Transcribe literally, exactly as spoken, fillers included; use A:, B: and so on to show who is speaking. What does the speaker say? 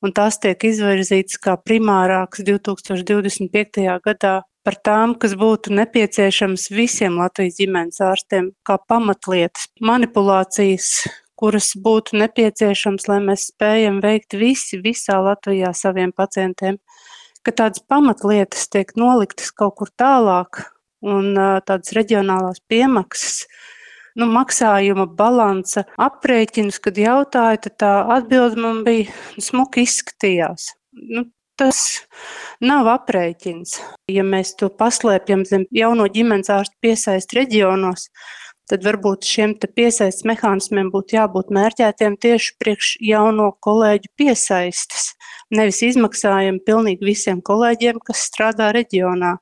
A: un tās tiek izvirzītas kā primārākas divi tūkstoši divdesmit piektajā gadā par tām, kas būtu nepieciešams visiem Latvijas ģimenes ārstiem kā pamatlietas, manipulācijas, kuras būtu nepieciešams, lai mēs spējam veikt visi visā Latvijā saviem pacientiem, ka tādas pamatlietas tiek noliktas kaut kur tālāk un tādas reģionālās piemaksas, nu, maksājuma balansa aprēķinus, kad jautāja, tad tā atbilde man bija smuki izskatījās. Nu, tas nav aprēķins. Ja mēs to paslēpjam zem jauno ģimenes ārstu piesaist reģionos, tad varbūt šiem te piesaistes mehānismiem būtu jābūt mērķētiem tieši priekš jauno kolēģu piesaistes. Nevis izmaksājam pilnīgi visiem kolēģiem, kas strādā reģionā.